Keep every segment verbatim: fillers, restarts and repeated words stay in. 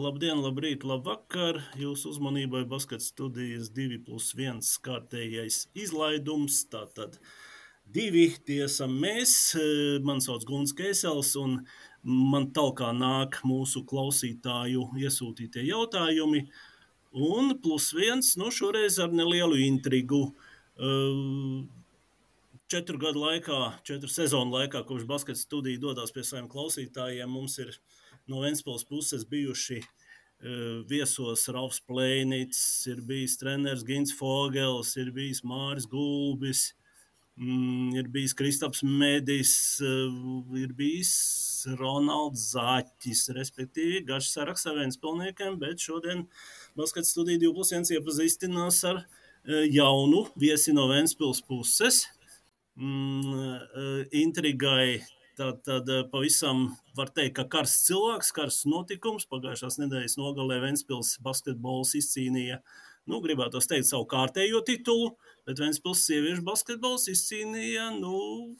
Labdien, labrīt, labvakar! Jūsu uzmanībai Basket studijas divi plus viens kārtējais izlaidums. Tātad divi tie esam mēs. Man sauc Gunts Keisels un man talkā nāk mūsu klausītāju iesūtītie jautājumi. Un plus viens, nu šoreiz ar nelielu intrigu. Četru gadu laikā, četru sezonu laikā, kopš Basket studija dodās pie saviem klausītājiem, mums ir no Ventspils puses bijuši uh, viesos Ralfs Plēnits, ir bijis treneris Gins Fogels, ir bijis Māris Gulbis, mm, ir bijis Kristaps Medis, uh, ir bijis Ronalds Zaķis, respektīvi garš saraksts ar Ventspilniekiem, bet šodien Basket studija divi plus viens iepazīstinās ar uh, jaunu viesi no Ventspils puses. Mm, intrigai tad, tad pavisam var teikt, ka karsts cilvēks, karsts notikums. Pagājušās nedēļas nogalē Ventspils basketbols izcīnīja, nu, gribētos teikt, savu kārtējo titulu, bet Ventspils sieviešu basketbols izcīnīja, nu,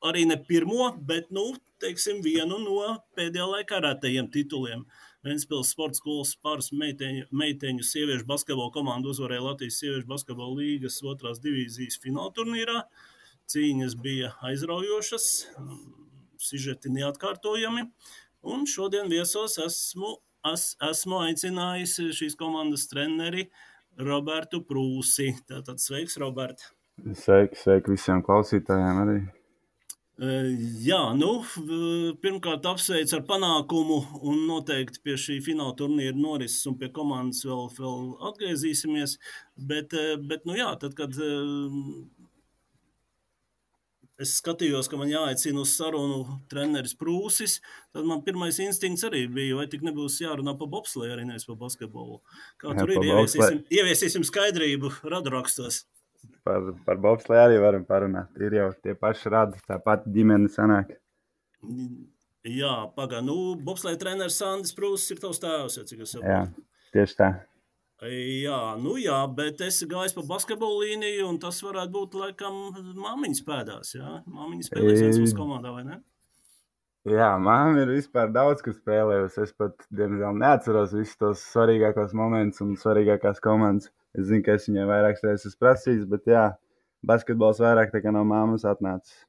arī ne pirmo, bet, nu, teiksim, vienu no pēdējā laikā rētajiem tituliem. Ventspils sporta skolas pāris meiteņu, meiteņu sieviešu basketbola komandu uzvarēja Latvijas sieviešu basketbola līgas otrās divīzijas fināla turnīrā. Cīņas bija aizraujošas, sižeti neatkārtojami, un šodien viesos esmu, es, esmu aicinājis šīs komandas treneri Robertu Prūsi. Tātad sveiks, Robert! Sveiki, sveiki visiem klausītājiem arī. Jā, nu, pirmkārt apsveic ar panākumu un noteikti pie šī fināla turnīra norises un pie komandas vēl, vēl atgriezīsimies, bet, bet nu jā, tad, kad es skatījos, ka man jāaicina uz sarunu treneris Prūsis, tad man pirmais instinkts arī bija, vai tik nebūs jārunā pa bobsleju arī nevis pa basketbolu. Kā tur jā, ir, ieviesīsim, ieviesīsim skaidrību radurakstos. Par, par bobsleju arī varam parunāt. Ir jau tie paši radi, tā pati ģimene sanāk. Jā, pagā, nu, bobsleja treneris Sandis Prūsis ir tavs tēvs, ja cik es saprotu. Jā, tieši tā. Jā, nu jā, bet esi gājis pa basketbolu līniju, un tas varētu būt, laikam, māmiņas pēdās, jā? Māmiņas spēlēs Ventspils komandā, vai ne? Jā, māma ir vispār daudz, kas spēlējusi. Es pat, diemžēl, neatceros visus tos svarīgākos momentus un svarīgākās komandas. Es zinu, ka es viņai vairākas reizes esmu prasījis, bet jā, basketbols vairāk tā kā no māmas atnācis.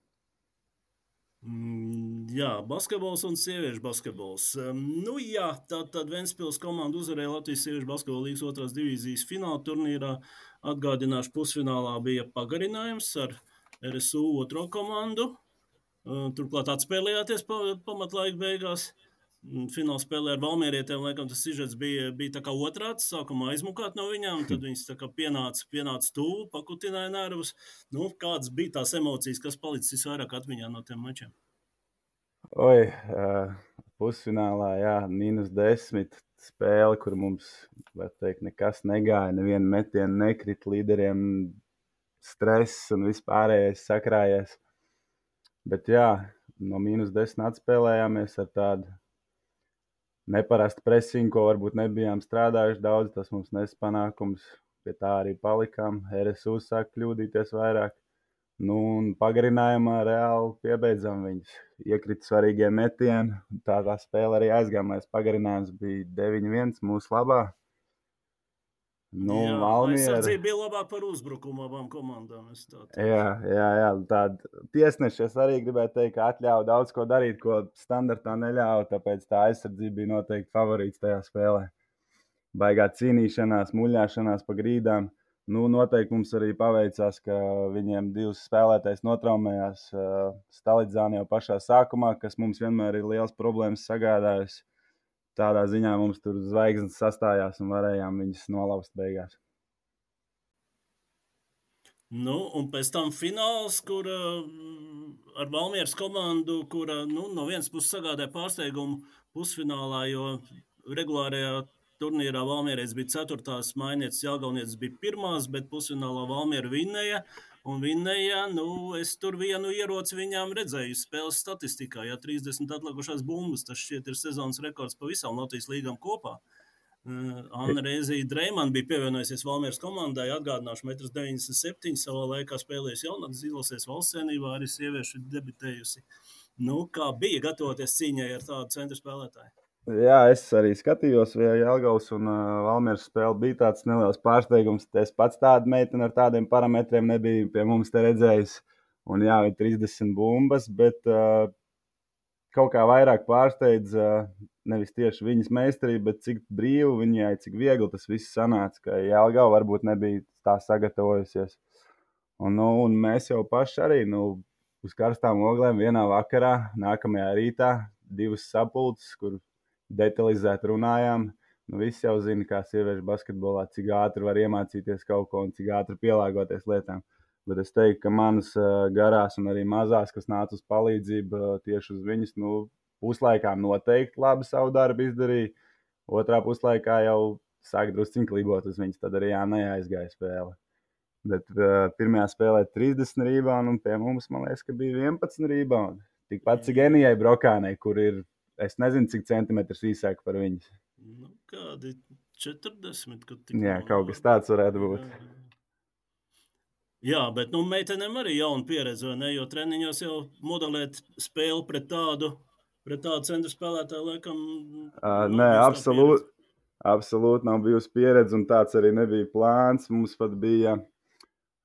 Mm, jā, basketbols un sieviešu basketbols. Um, nu jā, tad, tad Ventspils komanda uzvarēja Latvijas sieviešu basketbola līgas otrās divīzijas fināla turnīrā. Atgādināšu, pusfinālā bija pagarinājums ar R S U otro komandu. Uh, turklāt atspēlējāties pa, pamatlaika beigās. Fināla spēlē ar Valmierietiem, laikam tas sižets bija, bija tā kā otrāds, sākumā aizmukāt no viņām, tad viņas tā kā pienāca, pienāca tuvu, pakutināja nervus. Nu, kādas bija tās emocijas, kas palicis vairāk atmiņā no tiem mačiem? Oi, uh, pusfinālā, jā, mīnus desmit spēle, kur mums, var teikt, nekas negāja, neviena metiena nekrit, līderiem stress un vispārējais sakrājies. Bet jā, no mīnus desmit atspēlējāmies ar tādu neparastu presingu, ko varbūt nebijām strādājuši daudz, tas mums nes panākums, pie tā arī palikām. R S U sāk kļūdīties vairāk, nu un pagarinājumā reāli piebeidzam viņus. Iekrita svarīgie metieni, tā tā spēle arī aizgāmais. Pagarinājums bija deviņi viens mūsu labā. Nu, jā, Valmiera... aizsardzība bija labāk par uzbrukumu abām komandām. Es tā tā. Jā, jā, jā, tāda tiesneši es arī gribētu teikt, ka atļauj daudz ko darīt, ko standartā neļauj, tāpēc tā aizsardzība bija noteikti favorīts tajā spēlē. Baigā cīnīšanās, muļāšanās pa grīdām. Nu, noteikti mums arī paveicās, ka viņiem divas spēlētājs notraumējās uh, Stalidzāni jau pašā sākumā, kas mums vienmēr ir liels problēmas sagādājusi. Tādā ziņā mums tur zvaigznes sastājās un varējām viņas nolauzt beigās. Nu, un pēc tam fināls, kur uh, ar Valmieras komandu, kura nu, no vienas puses sagādāja pārsteigumu pusfinālā, jo regulārajā turnīrā Valmierais bija ceturtās, Mainietis Jelgavnietis bija pirmās, bet pusfinālā Valmiera vinnēja. Un vinnēja, nu, es tur vienu ieroci viņām redzēju spēles statistikā, ja trīsdesmit atlikušās bumbas, tas šķiet ir sezonas rekords pa visām Latvijas līgām kopā. Uh, Anna Reizija Dreiman bija pievienojusies Valmieras komandai, atgādināšu metrs deviņdesmit septiņi, savā laikā spēlējusi jaunatnes izlasēs valsts cienībā, arī sieviešu debitējusi. Nu, kā bija gatavoties cīņai ar tādu centru spēlētāju? Jā, es arī skatījos, vai Jelgavas un uh, Valmieras spēle bija tāds neliels pārsteigums. Es pats tādu meiteni ar tādiem parametriem nebiju pie mums te redzējis. Un jā, ir trīsdesmit bumbas, bet uh, kaut kā vairāk pārsteidz uh, nevis tieši viņas meistarība, bet cik brīvi viņai, cik viegli tas viss sanāca, ka Jelgava varbūt nebija tā sagatavojusies. Un, nu, un mēs jau paši arī nu, uz karstām oglēm vienā vakarā, nākamajā rītā, divas sapulces, kur detalizēti runājām. Nu, visi jau zina, kā sieviešu basketbolā, cik ātri var iemācīties kaut ko un cik ātri pielāgoties lietām. Bet es teiktu, ka manas uh, garās un arī mazās, kas nāca uz palīdzību uh, tieši uz viņas, nu, puslaikā noteikti labi savu darbu izdarīja. Otrā puslaikā jau sāk drusciņi klibot uz viņas, tad arī jā, neaizgāja spēle. Bet uh, pirmajā spēlē trīsdesmit reboundu, un pie mums, man liekas, ka bija vienpadsmit reboundu. Tikpat cik Enijai Brokānei, kur ir, es nezinu, cik centimetrus īsāk par viņas. Nu, kādi četrdesmit, kad tik jā, kaut kas tāds varētu būt. Jā, jā. Jā, bet nu, meitenēm arī jauna pieredze, ne? Jo treniņos jau modelēt spēli pret tādu, pret tādu centru spēlētāju, laikam, uh, nē, absolūti. Absolūti nav bijusi pieredze, un tāds arī nebija plāns. Mums pat bija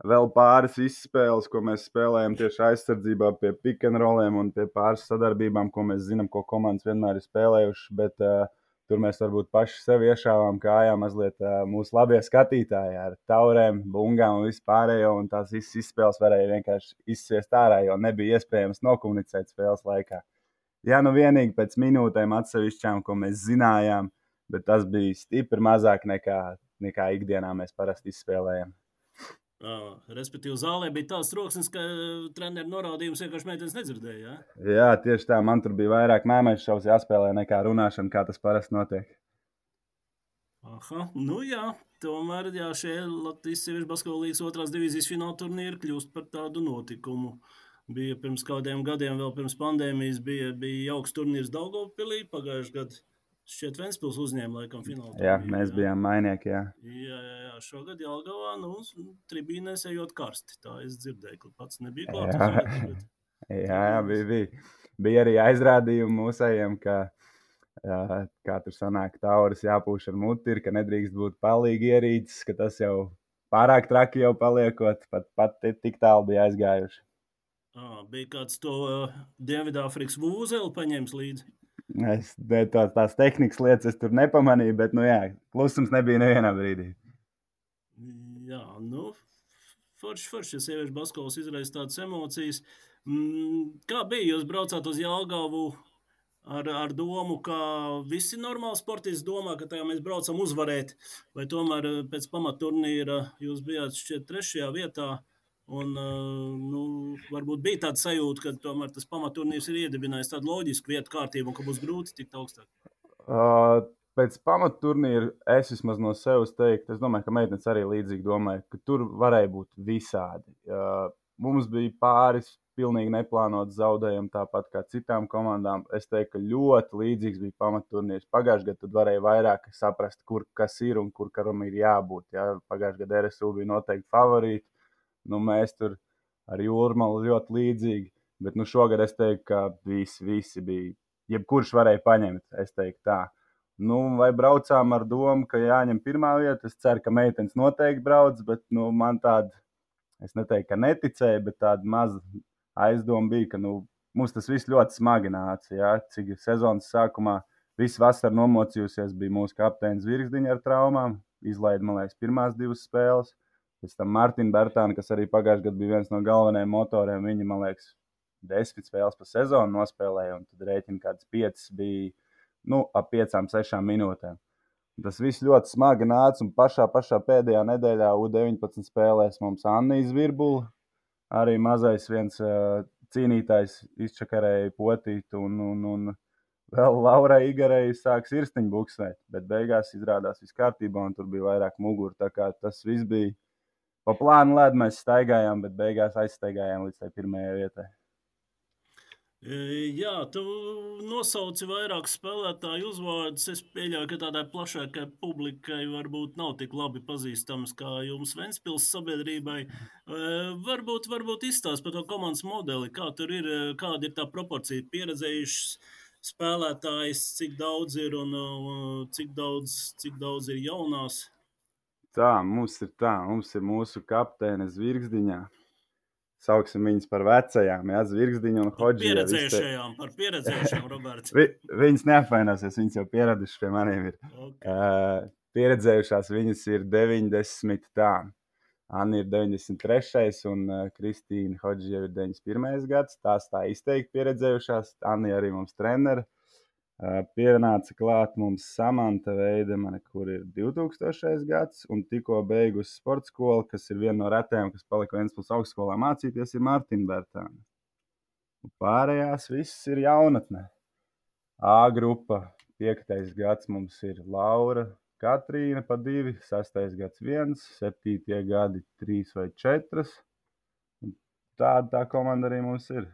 vēl pāris izspēles, ko mēs spēlējam tieši aizsardzībā pie pick and rolliem un pie pāris sadarbībām, ko mēs zinām, ko komandas vienmēr ir spēlējuši. Bet uh, tur mēs varbūt paši sev iešāvām kājā mazliet uh, mūsu labie skatītāji ar taurēm, bungām un vispārējo. Un tās visas izspēles varēja vienkārši izsviest ārā, jo nebija iespējams nokomunicēt spēles laikā. Jā, nu vienīgi pēc minūtēm atsevišķām, ko mēs zinājām, bet tas bija stipri mazāk nekā, nekā ikdienā mēs parasti izspēlējam. Uh, respektīvi, zālē bija tāds troksnis, ka treneru norādījums vienkārši meitenes nedzirdēja. Ja? Jā, tieši tā. Man tur bija vairāk mēmēšu šovs jāspēlē nekā runāšana, kā tas parasti notiek. Aha, nu jā, tomēr jā, šie Latvijas sieviešu basketbola līgas otrās divīzijas fināla turnīri kļūst par tādu notikumu. Bija pirms kādiem gadiem, vēl pirms pandēmijas, bija, bija jauks turnīrs Daugavpilī pagājušajā gadā. Šķiet, Ventspils uzņēma laikam finālu. Jā, turnīru, mēs jā. bijām mainieki, jā. Jā, jā, jā. Šogad Jelgavā, nu, tribīnēs ejot karsti. Tā es dzirdēju, ka pats nebija klāt uz vietas. Bet... jā, jā, bija, bija. Bija arī aizrādījumi mūsējiem, ka, jā, kā tur sanāk, tauras jāpūš ar muti, ka nedrīkst būt palīgi ierīces, ka tas jau pārāk traki jau paliekot, pat, pat tik tālu bija aizgājuši. À, bija kāds to uh, Dienvidāfrikas vūzeli paņēmis līdzi? Es tā, tās tehnikas lietas es tur nepamanīju, bet, nu jā, klusums nebija nevienā brīdī. Jā, nu, forši, forši, ja sieviešu basketbols izraisa tādas emocijas. Mm, kā bija, jūs braucāt uz Jelgavu ar, ar domu, ka visi normāli sportisti domā, ka tajā mēs braucam uzvarēt, vai tomēr pēc pamatturnīra jūs bijāt šķiet trešajā vietā? Un, nu, varbūt bija tāda sajūta, ka tomēr tas pamatturnīrs ir iedibinājis tādu loģisku vietu kārtību un ka būs grūti tikt augstāk. Uh, pēc pamatturnīra es vismaz no sevis teiktu, es domāju, ka meitenes arī līdzīgi domāja, ka tur varēja būt visādi. Uh, mums bija pāris pilnīgi neplānots zaudējumi, tāpat kā citām komandām. Es teiktu, ka ļoti līdzīgs bija pamatturnīrs. Pagājušajā gadā tad varēja vairāk saprast, kur kas ir un kur karam ir jābūt. Ja? Pagājušajā gadā R S U bija noteikti favorīti. Nu, mēs tur ar Jūrmalu ļoti līdzīgi, bet nu, šogad es teiktu, ka visi, visi bija, jebkurš varēja paņemt, es teiktu tā. Nu, vai braucām ar domu, ka jāņem pirmā vieta, es ceru, ka meitenes noteikti brauc, bet nu, man tāda, es neteiktu, ka neticēja, bet tāda maza aizdoma bija, ka nu, mums tas viss ļoti smagi nāca, ja? Cik sezonas sākumā viss vasara nomocījusies, bija mūsu kapteinis Virgsdiņa ar traumām, izlaida, man liekas, pirmās divas spēles. Pēc tam Martina Bertāna, kas arī pagājušajā gadā bija viens no galvenajiem motoriem, viņa, man liekas, desmit spēles pa sezonu nospēlēja, un tad rēķina kāds piecas bija, nu, ap piecām, sešām minūtēm. Tas viss ļoti smagi nāca, un pašā, pašā pēdējā nedēļā U deviņpadsmit spēlēs mums Annija Zvirbula, arī mazais viens uh, cīnītājs izčakarēja potītu, un, un, un vēl Laurai Igarei sāk sirsniņu buksēt, bet beigās izrādās viss kārtībā, un tur bija vairāk muguru, tā kā tas viss bija. Pa plānu ledu mēs staigājām, bet beigās aizstaigājām līdz tai pirmajai vietai. Jā, tu nosauci vairāk spēlētāju uzvārdus. Es pieļauju, ka tādai plašākai publikai varbūt nav tik labi pazīstams kā jums Ventspils sabiedrībai. Varbūt, varbūt izstāst par to komandas modeli, kā tur ir, kāda ir tā proporcija pieredzējušas spēlētājs, cik daudz ir un cik daudz, cik daudz ir jaunās? Tā, mums ir tā, mums ir mūsu kapteine Zvirgzdiņā. Sauksim viņas par vecajām, jā, Zvirgzdiņa un Par Hodžija. pieredzējušajām, par pieredzējušajām, Roberts. Vi, viņas neapvainosies, viņas jau pieradušas pie maniem ir. Okay. Uh, pieredzējušās viņas ir deviņdesmit tā. Anna ir deviņdesmit trešais un uh, Kristīna Hodžija ir deviņdesmit pirmais gads. Tās tā izteikti pieredzējušās. Anna arī mums treneri. Uh, pienāca klāt mums Samanta Veidemane, kur ir divtūkstošais gads un tikko beigusi sporta skolu, kas ir viena no retajām, kas palika Ventspils augstskolā mācīties, ir Martina Bertāne. Pārējās viss ir jaunatnē. A grupa, piektais gads mums ir Laura, Katrīna pa divi, sastais gads viens, septītie gadi trīs vai četras. Tāda tā komanda arī mums ir.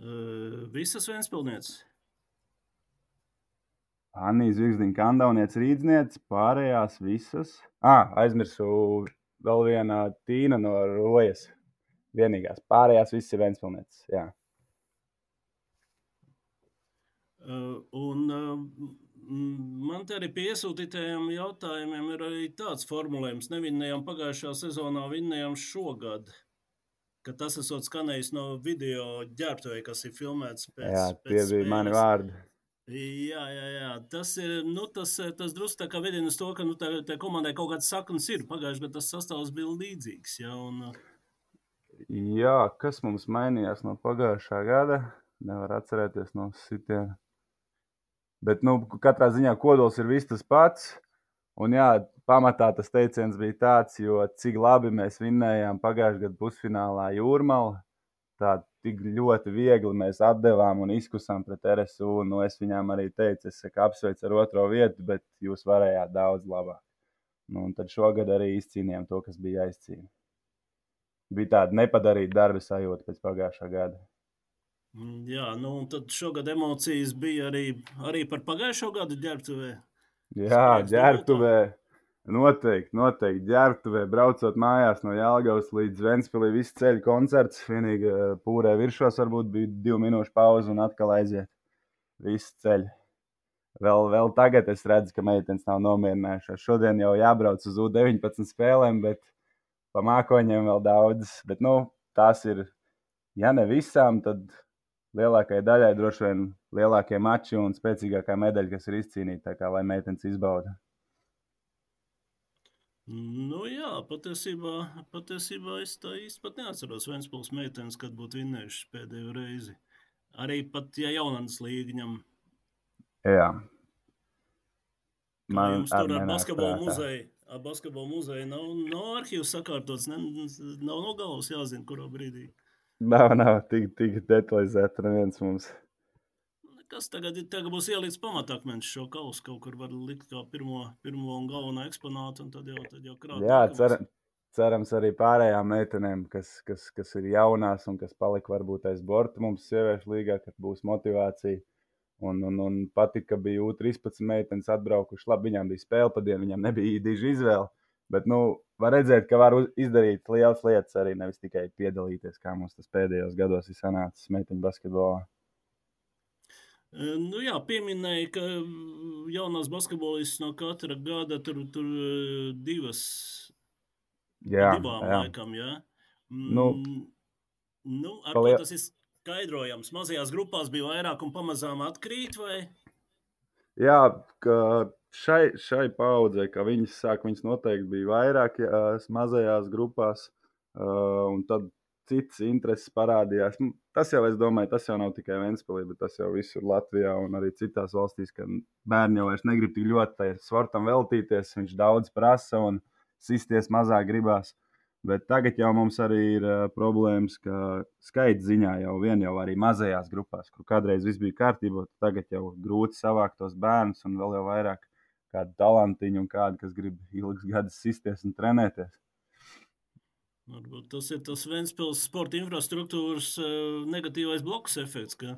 Uh, visas Ventspilsnieces? Anija Zvirgzdiņa, Kandaunieca, Rīdzniece, pārējās visas. Ah, aizmirsu vēl viena Tīna no Rojas. Vienīgās. Pārējās visas ir Ventspilsnieces, jā. Uh, un uh, man te arī pie iesūtītajiem jautājumiem ir arī tāds formulējums. Nevinnējām pagājušā sezonā, vinnējām šogad. Ka tas esot skanējis no video ģērbtuvē, kas ir filmēts pēc, jā, pēc tie bija spēles. mani vārdi. Jā, jā, jā. Tas ir, nu, tas, tas drusku tā kā vedina uz to, ka, nu, tā, tā komandai kaut kāds saknes ir. Pagājuši, bet tas sastāvs bija līdzīgs, jā, un... Jā, kas mums mainījās no pagājušā gada? Nevar atcerēties no sitiena. Bet, nu, katrā ziņā kodols ir viss tas pats. Un jā, pamatā tas teiciens bija tāds, jo cik labi mēs vinnējām pagājušajā gadu pusfinālā Jūrmala, tā tik ļoti viegli mēs atdevām un izkusām pret R S U. Nu, es viņām arī teicu, es saku, apsveicu ar otro vietu, bet jūs varējāt daudz labāk. Nu, un tad šogad arī izcīnījām to, kas bija jāizcīna. Bija tāda nepadarīta darba sajūta pēc pagājušā gada. Jā, nu, un tad šogad emocijas bija arī, arī par pagājušo gadu ģērbtuvē. Jā, ģērbtuvē. Noteikti, noteikti. Ģērbtuvē, braucot mājās no Jelgavas līdz Ventspilī, viss ceļu koncerts. Vienīgi pūrē viršos varbūt bija divu minūšu pauze un atkal aiziet. Viss ceļu. Vēl, vēl tagad es redzu, ka meitenes nav nomierinājušās. Šodien jau jābrauc uz U deviņpadsmit spēlēm, bet pa mākoņiem vēl daudz. Bet, nu, tās ir, ja ne visām, tad lielākajai daļai droši vien lielākie mači un spēcīgākā medaļa, kas ir izcīnīta, tā kā lai meitenes izbauda. Nu jā, patiesībā, patiesībā es tā īsti pat neatceros Ventspils meitenes, kad būtu vinnējušas pēdējo reizi. Arī pat, ja jaunatnes līga ņem. Jā. Kā jums tur ar basketbolu muzeju? Ar basketbolu muzeju nav, nav arhīvs sakārtots, ne, nav no galvas jāzina, kurā brīdī. Nav, nav, tik, tik detalizēta neviens mums. Kas tagad, tagad būs ielīdz pamatakmeņš šo kausu, kaut kur var likt kā pirmo, pirmo un galveno eksponātu, un tad jau, tad jau krāt. Jā, cer, cerams arī pārējām meitenēm, kas, kas, kas ir jaunās un kas palika varbūt aiz borta mums sieviešu līgā, kad būs motivācija. Un, un, un patika, ka bija U trīspadsmit meitenes atbraukuši. Labi, viņām bija spēle pa dienu, viņām nebija diži izvēle. Bet, nu, var redzēt, ka var izdarīt lielas lietas arī, nevis tikai piedalīties, kā mums tas pēdējos gados ir sanācis meiteņu basketbolā. Nu jā, pieminēja, ka jaunās basketbolistas no katra gada tur, tur divas, jā, divām jā. laikam, jā. Nu, nu, ar ko tas ir skaidrojams? Mazajās grupās bija vairāk un pamazām atkrīt, vai? Jā, ka šai, šai paudzei, kā viņas sāk, viņas noteikti bija vairāk jā, mazajās grupās, uh, un tad cits intereses parādījās. Tas jau, es domāju, tas jau nav tikai Ventspilī, bet tas jau visur Latvijā un arī citās valstīs, ka bērni jau vairs negrib tik ļoti tai sportam veltīties, viņš daudz prasa un sisties mazāk gribās. Bet tagad jau mums arī ir uh, problēmas, ka skaita ziņā jau vien jau arī mazajās grupās, kur kādreiz viss bija kārtībā, tagad jau grūti savākt tos bērnus un vēl jau vairāk kādu talantiņu un kādu, kas grib ilgas gadus sisties un trenēties. Varbūt tas ir tas Ventspils sporta infrastruktūras uh, negatīvais bloks efekts, ka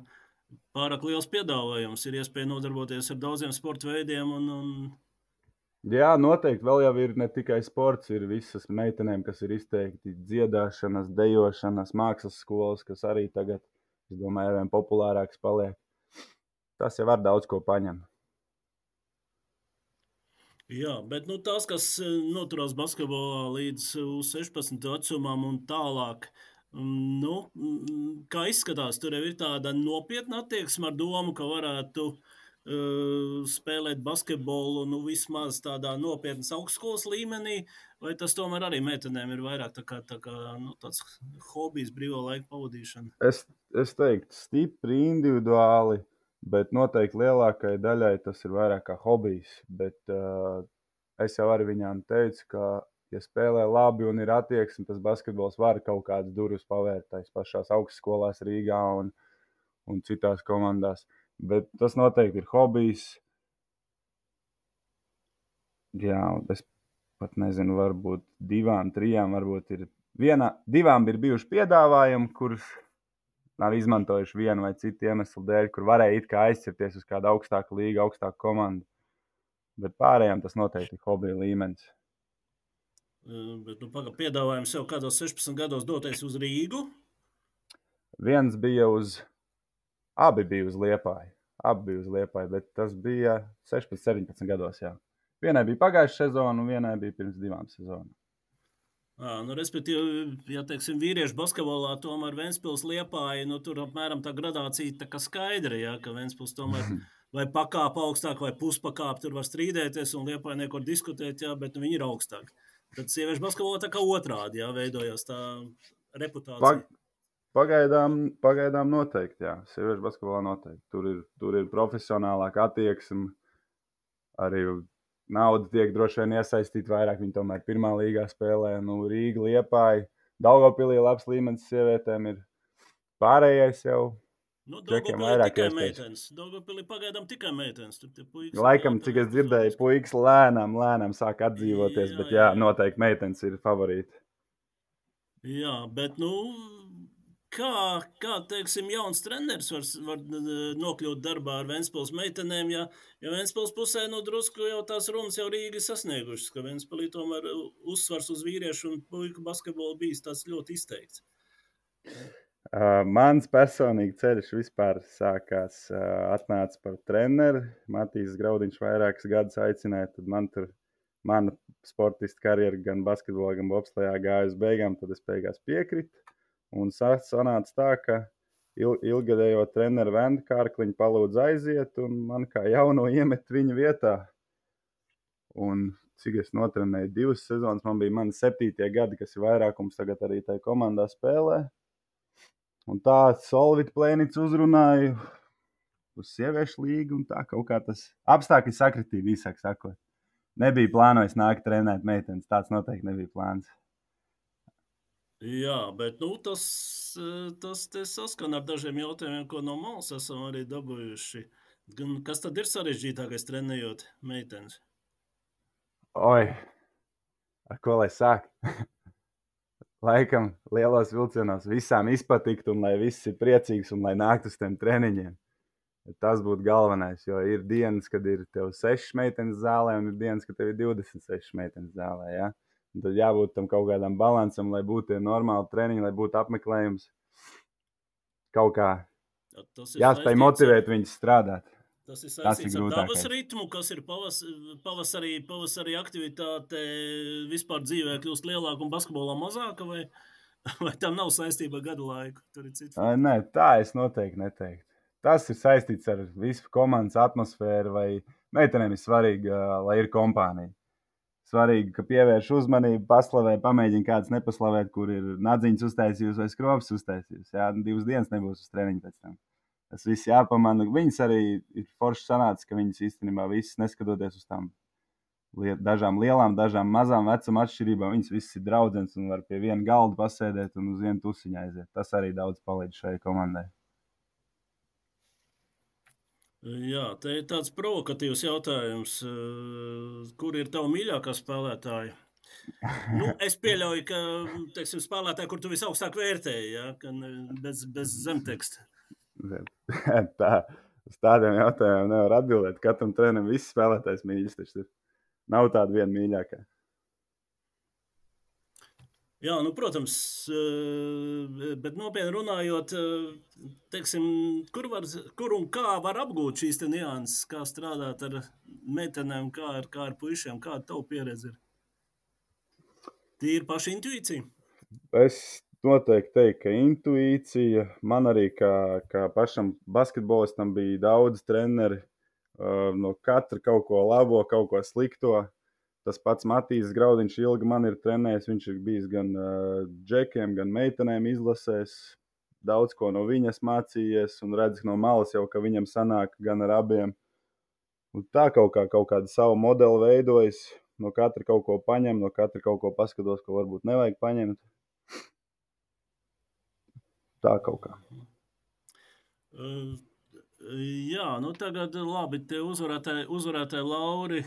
pārāk liels piedāvājums ir iespēja nodarboties ar daudziem sporta veidiem. Un, un... Jā, noteikti. Vēl jau ir ne tikai sports, ir visas meitenēm, kas ir izteikti dziedāšanas, dejošanas, mākslas skolas, kas arī tagad, es domāju, arvien populārāks paliek. tas jau var daudz ko paņemt. Jā, bet nu, tās, kas noturās basketbolā līdz sešpadsmit vecumam un tālāk, nu, kā izskatās, tur jau ir tāda nopietna attieksme ar domu, ka varētu uh, spēlēt basketbolu nu, vismaz tādā nopietnas augstskolas līmenī, vai tas tomēr arī meitenēm ir vairāk tā kā, tā kā nu, tāds hobijs, brīvā laika pavadīšana? Es, es teiktu, stipri individuāli. Bet noteikti lielākai daļai tas ir vairāk kā hobijs. Bet uh, es jau arī viņām teicu, ka, ja spēlē labi un ir attieksme, tas basketbols var kaut kādas durvis pavērt tās pašās augstskolās Rīgā un, un citās komandās. Bet tas noteikti ir hobijs. Jā, es pat nezinu, varbūt divām, trijām, varbūt ir vienā, divām ir bijuši piedāvājumi, kurus nav izmantojuši vienu vai citu iemeslu dēļ, kur varēja it kā aizķerties uz kādu augstāku līgu, augstāku komandu. Bet pārējām tas noteikti ir hobija līmenis. Bet nu, paga, piedāvājums jau kādos sešpadsmit gados doties uz Rīgu? Viens bija uz, abi bija uz Liepāju. Abi bija uz Liepāju, bet tas bija sešpadsmit, septiņpadsmit gados, jā. Vienai bija pagājuša sezona un vienai bija pirms divām sezonām. À, nu, respektīvi, ja teiksim, vīriešu basketbolā tomēr Ventspils Liepāja, nu, tur apmēram tā gradācija tā kā skaidra, ja, ka Ventspils tomēr vai pakāp augstāk vai puspakāp, tur var strīdēties un Liepāja neko diskutēt, jā, bet nu, viņi ir augstāk. Tad sieviešu basketbolā tā kā otrādi, jā, veidojās tā reputācija. Pag, pagaidām, pagaidām noteikti, jā, sieviešu basketbolā noteikti. Tur ir, tur ir profesionālāka attieksme, arī nauda tiek droši vien iesaistīta vairāk, viņi tomēr pirmā līgā spēlē, nu, Rīga, Liepāja, Daugavpilī labs līmenis sievietēm ir, pārējais jau Nu, čekiem Daugavpilī vairāk tikai iespējas. meitenes. Daugavpilī pagaidām tikai meitenes. Tur tie puikas Laikam, spēlē cik es tā dzirdēju, fiziski. puikas lēnām, lēnām sāk atdzīvoties, Jā, bet jā, jā, jā. noteikti meitenes ir favorīti. Jā, bet, nu, kā, kā teiksim, jauns treneris var, var nokļūt darbā ar Ventspils meitenēm, ja, ja Ventspils pusē, nu, drusku jau tās runas jau Rīga sasniegušas, ka Ventspilī tomēr uzsvars uz vīriešu un puiku basketbolu bijis tāds ļoti izteikts. Uh, mans personīgi ceļš vispār sākās, uh, atnāca par treneru. Matīs Graudiņš vairākas gadus aicināja, tad man tur, mana sportista karjera gan basketbolā, gan bobslejā gāja uz beigām, tad es beigās piekritu. Un sanāca tā, ka il, ilgadējo treneru Vendu Kārkliņu palūdz aiziet, un man kā jauno iemet viņa vietā. Un cik es notrenēju divas sezonas, man bija mani septītie gadi, kas ir vairākums tagad arī tajā komandā spēlē. Un tā Solvit Plēnics uzrunāja uz sieviešu līgu, un tā kaut kā tas apstākļi sakritīja, īsāk sakot. Nebija plānojis nākt trenēt meitenes, tāds noteikti nebija plāns. Jā, bet nu, tas, tas saskan ar dažiem jautājumiem, ko no malas esam arī dabūjuši. Kas tad ir sarežģītākais trenējot meitenes? Oi, ar ko lai sāk? Laikam lielos vilcienos visām izpatikt, un lai viss ir priecīgs, un lai nākt uz tiem treniņiem. Tas būtu galvenais, jo ir dienas, kad ir tev sešas meitenes zālē, un ir dienas, kad tev ir divdesmit sešas meitenes zālē, ja? Un tad jābūt tam kaut kādam balansam, lai būtu tie normāli treniņi, lai būtu apmeklējums. Kaut kā jāspēj motivēt ar... viņus strādāt. Tas ir saistīts ar dabas ritmu, kas ir pavas, pavasarī, pavasarī aktivitāte vispār dzīvē kļūst lielāka un basketbolā mazāka, vai, vai tam nav saistība ar gadu laiku? Tur ir cits. Nē, tā es noteikti neteiktu. Tas ir saistīts ar visu komandas atmosfēru, vai meitenēm ir svarīgi, lai ir kompānija. Svarīgi, ka pievērš uzmanību, paslavē, pamēģina kāds nepaslavēt, kur ir nadziņas uztaisījusi vai skrops uztaisījusi. Jā, divas dienas nebūs uz treniņu pēc tam. Tas viss jāpamana. Viņas arī ir forši sanāca, ka viņas īstenībā visas, neskatoties uz tām dažām lielām, dažām mazām vecuma atšķirībām, viņas visas ir draudzenes un var pie viena galda pasēdēt un uz vienu tusiņu aiziet. Tas arī daudz palīdz šai komandai. Jā, te ir tāds provokatīvs jautājums. Kur ir tava mīļākā spēlētāja? Nu, es pieļauju, ka teiksim, spēlētāji, kur tu visaugstāk vērtēji, ja? bez, bez zemteksta. Tā, uz tādiem jautājumiem nevar atbildēt. Katram trenerim viss spēlētājs mīļas, taču nav tāda viena mīļākā. Jā, nu, protams, bet nopietni runājot, teiksim, kur, var, kur un kā var apgūt šīs nianses, kā strādāt ar meitenēm, kā ar, kā ar puišiem, kāda tavu pieredze ir? Tīri paša intuīcija? Es noteikti teiktu, ka intuīcija man arī kā, kā pašam basketbolistam bija daudz treneri, uh, no katra kaut ko labo, kaut ko slikto. Tas pats Matīs Graudiņš ilgi man ir trenējis. Viņš ir bijis gan uh, džekiem, gan meitenēm izlasēs. Daudz ko no viņas mācījies un redz no malas jau, ka viņam sanāk gan ar abiem. Un tā kaut, kā, kaut kāda sava modeli veidojas. No katra kaut ko paņem, no katra kaut ko paskatos, ko varbūt nevajag paņemt. Tā kaut kā. Uh, jā, nu tagad labi, te uzvarētāji, uzvarētāji Lauri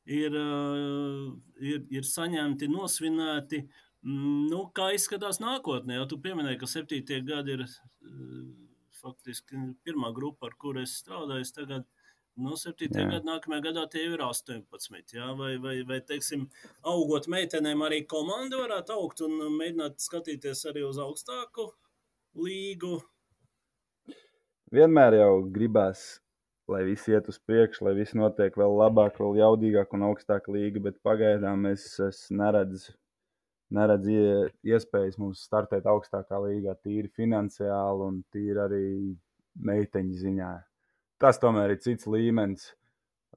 ir, uh, ir, ir saņemti, nosvinēti. Mm, nu, kā izskatās nākotnē? Ja tu pieminēji, ka septītie gadi ir uh, faktiski pirmā grupa, ar kuru es strādāju. Tagad no septītā gada nākamajā gadā tie ir astoņpadsmit. Jā? Vai, vai, vai, teiksim, augot meitenēm arī komanda varētu augt un mēģināt skatīties arī uz augstāku līgu? Vienmēr jau gribās, lai viss iet uz priekšu, lai viss notiek vēl labāk, vēl jaudīgāk un augstāk līga, bet pagaidām es, es neredzu, neredzu iespējas mums startēt augstākā līgā tīri finansiāli un tīri arī meiteņu ziņā. Tas tomēr ir cits līmenis.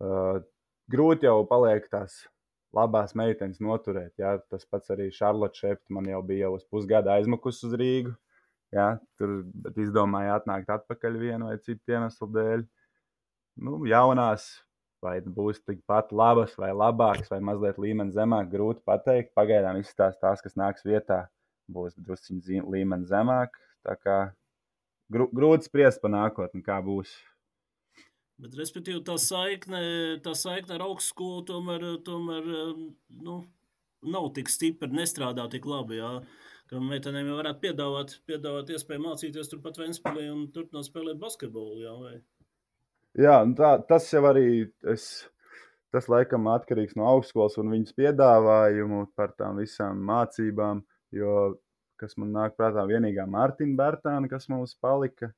Uh, grūti jau paliek tās labās meitenes noturēt. Jā. Tas pats arī Šarlote Šepta man jau bija jau uz pusgada aizmukus uz Rīgu. Jā, tur izdomāja atnākt atpakaļ vienu vai citu iemeslu dēļ. Nu, jaunās, vai būs tikpat labas vai labākas, vai mazliet līmeni zemāk, grūti pateikt. Pagaidām izskatās tās, kas nāks vietā, būs drusciņi līmeni zemāk. Tā kā grūti spriest par nākotni, kā būs. Bet, respektīvi, tā saikne, tā saikne ar augstskolu tomēr, tomēr nu, nav tik stipra, nestrādā tik labi. Jā. Ka meitenēm jau varētu piedāvāt, piedāvāt iespēju mācīties turpat Ventspilī un turpināt spēlēt basketbolu. Jā, vai? Jā, tā, tas jau arī, es, tas laikam atkarīgs no augstskolas un viņas piedāvājumu par tām visām mācībām, jo, kas man nāk prātā, vienīgā Mārtiņa Bērtāna, kas mums palika.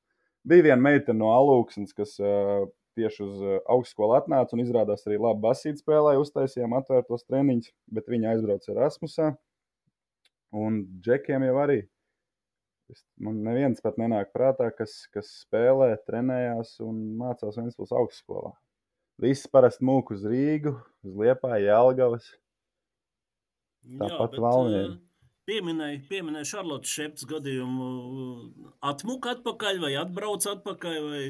Bija viena meitene no Alūksnes, kas uh, tieši uz uh, augstskolu atnāca un izrādās arī labi basīti spēlēja, uztaisījām atvērtos treniņus, bet viņa aizbrauca Erasmusā. Un džekiem jau arī. Es, man neviens pat nenāk prātā, kas, kas spēlē, trenējās un mācās Ventspils augstskolā. Visi parasti mūk uz Rīgu, uz Liepāju, Jelgavas. Tāpat Valmieri. Pieminēja, pieminēja Šarlotes Šeptas gadījumu. Atmuka atpakaļ vai atbrauc atpakaļ? Vai...